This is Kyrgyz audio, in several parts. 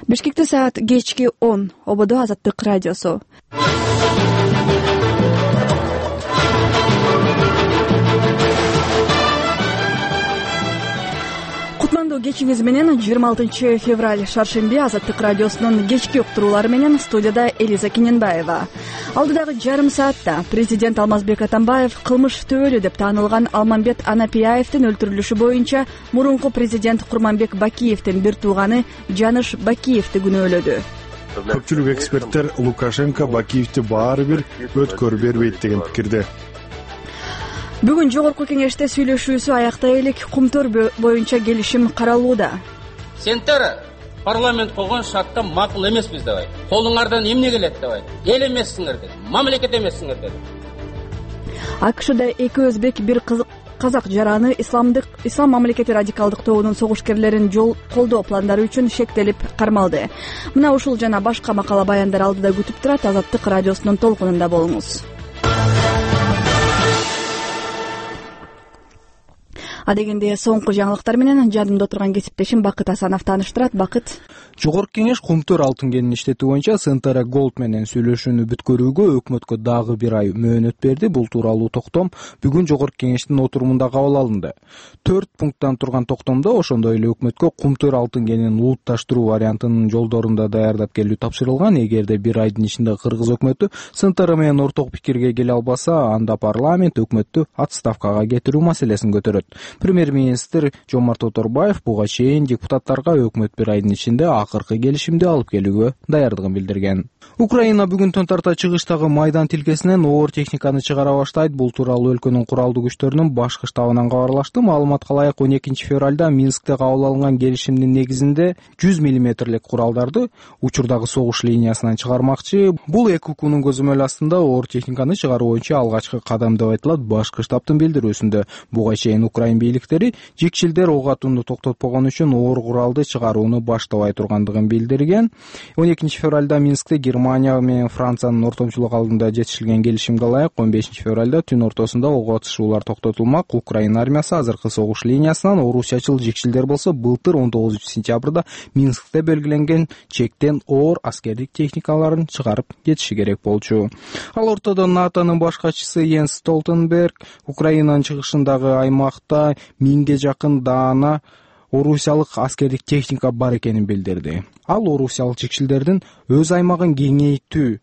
Бишкекте саат кечки 10. Ободо Азаттык радиосу. Кутмандуу кечиңиз менен 26 февраль шаршемби Азаттык радиосунун кечки уктуруулары менен студияда Элиза Кененбаева. Алдыдагы жарым саатта президент Алмазбек Атамбаев кылмыш төөлү деп таанылган Алмамбет Анапияевдин өлтүрүлүшү боюнча мурунку президент Курманбек Бакиевдин бир тууганы Жаныш Бакиевди күнөөлөдү. Көпчүлүк эксперттер Лукашенко Бакиевди баары бир өткөрү бербейт деген пикирде. Бүгүн жогорку кеңеште сүйлөшүүсү аяктай элек Кумтөр боюнча келишим каралууда. Сендер парламент койгон шартта макул эмеспиз деп айт. Колуңардан эмне келет деп айт. Эл эмессиңер деп, мамлекет эмессиңер деп. АКШда эки өзбек, бир казак жараны ислам мамлекети радикалдык тобунун согушкерлерин колдоо пландары үчүн шектелип кармалды. Мына ушул жана башка макала баяндар алдыда күтүп турат. Азаттык радиосунун толкунунда болуңуз. Адегенде соңку жаңылыктар менен жадымда отурган кесиптешим Бакыт Асанов тааныштырат. Бакыт. Жогорку кеңеш Кумтөр алтын кенин иштетүү боюнча Сентара Голд менен сүйлөшүүнү бүткөрүүгө өкмөткө дагы бир ай мөөнөт берди. Бул тууралуу токтом бүгүн жогорку кеңештин отурумунда кабыл алынды. 4 пункттан турган токтомдо ошондой эле өкмөткө Кумтөр алтын кенин улутташтыруу вариантынын жолдорунда даярдап келүү тапшырылган. Эгерде бир айдын ичинде Кыргыз өкмөтү Сентара менен орток пикирге келе албаса, анда парламент өкмөттү отставкага кетирүү маселесин көтөрөт. Премьер-министр Жомарт Оторбаев буга чейин депутаттарга өкмөт бир айдын ичинде акыркы келишимди алып келүүгө даярдыгын билдирген. Украина бүгүн төн тарта чыгыштагы майдан тилкесинен оор техниканы чыгара баштайт. Бул тууралуу өлкөнүн куралдуу күчтөрүнүн башкы штабынан кабарлашты. Маалыматка ылайык 12 февралда Минскте кабыл алынган келишимдин негизинде 100 мм куралдарды учурдагы согуш линиясынан чыгармакчы. Бул эки укуунун көзөмөл астында оор техниканы чыгаруу боюнча алгачкы кадам деп айтылат башкы штабтын билдирүүсүндө. Буга чейин Украин бийликтери жекчилдер ок атууну токтотпогон үчүн оор куралды чыгарууну баштабай тургандыгын билдирген. 12 февралда Минскте Германия менен Франциянын ортомчулук алдында жетишилген келишимге ылайык 15 февралда түн ортосунда ок атышуулар токтотулмак. Украина армиясы азыркы согуш линиясынан орусчачыл жекчилдер болсо былтыр 19 сентябрда Минскте белгиленген чектен оор аскердик техникаларын чыгарып кетиши керек болчу. Ал ортодо НАТОнун баш катчысы Йенс Столтенберг Украинанын чыгышындагы аймакта 1000ге жакын даана орусиялык аскердик техника бар экенин билдирди. Ал орусиялык жекчилдердин өз аймагын кеңейтүү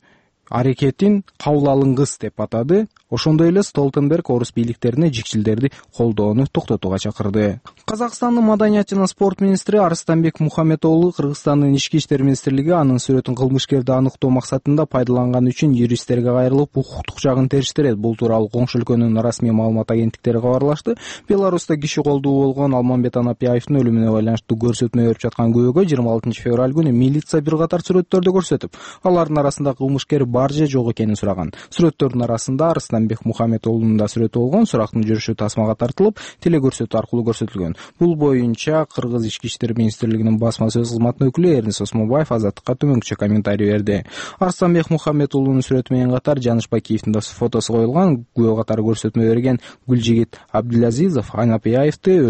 аракетин кабыл алынгыс деп атады. Ошондой эле Столтенберг орус бийликтерине жекчилдерди колдоону токтотууга чакырды. Казакстандын маданият жана спорт министри Арыстанбек Мухаммедоğlu Кыргызстандын ички иштер министрлиги анын сүрөтүн кылмышкерди аныктоо максатында пайдаланган үчүн юристтерге кайрылып укуктук жагын териштирет. Бул тууралуу коңшу өлкөнүн расмий маалымат агенттиктери кабарлашты. Беларуста киши колдуу болгон Алмамбет Анапияевдин өлүмүнө байланыштуу көрсөтмө берип жаткан күбөгө 26 февраль күнү милиция бир катар сүрөттөрдү көрсөтүп, алардын арасында кылмышкер бар же жок экенин сураган. Сүрөттөрдүн арасында Арыстанбек Мухаммедоğlu'нун да сүрөтү болгон. Сурактын жүрүшү тасмага тартылып, телегөрсөтүү аркылуу көрсөтүлгөн. Бул боюнча Кыргыз ички иштер министрлигинин басма сөз кызматынын өкүлү Эрнис Осмонбаев Азаттыкка төмөнкүчө комментарий берди. Арыстанбек Мухаммедоğlu'нун сүрөтү менен катар Жаныш Бакиевдин да фотосу коюлган. Күбө катары көрсөтмө берген Гүлжигит Абдулазизов Анапияевдин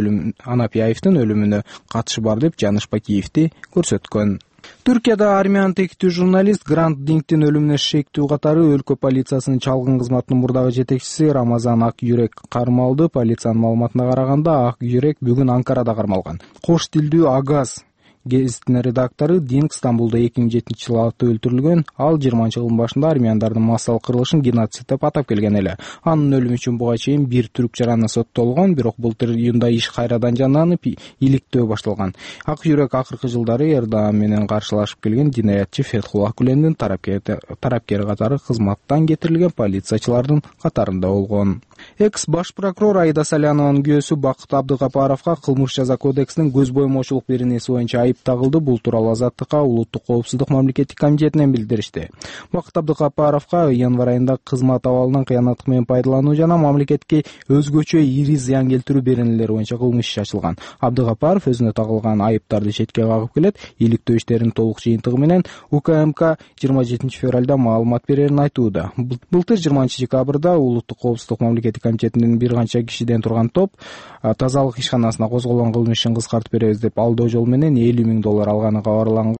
өлүмүнө катышы бар деп Жаныш Бакиевди көрсөткөн. Түркияда армянын тектүү журналист Грант Дингтин өлүмүнө шектүү катары өлкө полициясынын чалгын кызматынын мурдагы жетекчиси Рамазан Ак Юрек кармалды. Полициянын маалыматына караганда Ак Юрек бүгүн Анкарада кармалган. Кош тилдүү Агаз гезитинин редактору Динг Стамбулда 2007-жылы өлтүрүлгөн. Ал 20-жылдын башында армяндардын массалык кырылышын геноцид деп атап келген эле. Анын өлүмү үчүн буга чейин бир түрк жараны соттолгон, бирок былтыр июнда иш кайрадан жанданып, иликтөө башталган. Ак Юрек акыркы жылдары Эрдоан менен каршылашып келген динаятчы Фетхуллах Гүлендин тарапкери катары кызматтан кетирилген полициячылардын катарында болгон. Экс-баш прокурор Аида Салянованын күйөөсү Бакыт Абдыгапаровго кылмыш жаза кодексинин көз боймоочулук беренеси боюнча айып тагылды. Бул тууралуу Азаттыкка Улуттук коопсуздук мамлекеттик комитетинен билдиришти. Бакыт Абдыгапаровго январь айында кызмат абалынан кыянаттык менен пайдалануу жана мамлекетке өзгөчө ири зыян келтирүү беренелери боюнча кылмыш иши ачылган. Абдыгапаров өзүнө тагылган айыптарды четке кагып келет. Иликтөө иштеринин толук жыйынтыгы менен УКМК 27 февралда маалымат берерин айтууда. Былтыр 20 декабрда Улуттук коопсуздук мамлекеттик комитетинин бир канча кишиден турган топ тазалык ишканасына козголгон кылмыш ишин кыскартып беребиз деп алдоо жолу менен $50,000 алганы кабарланган.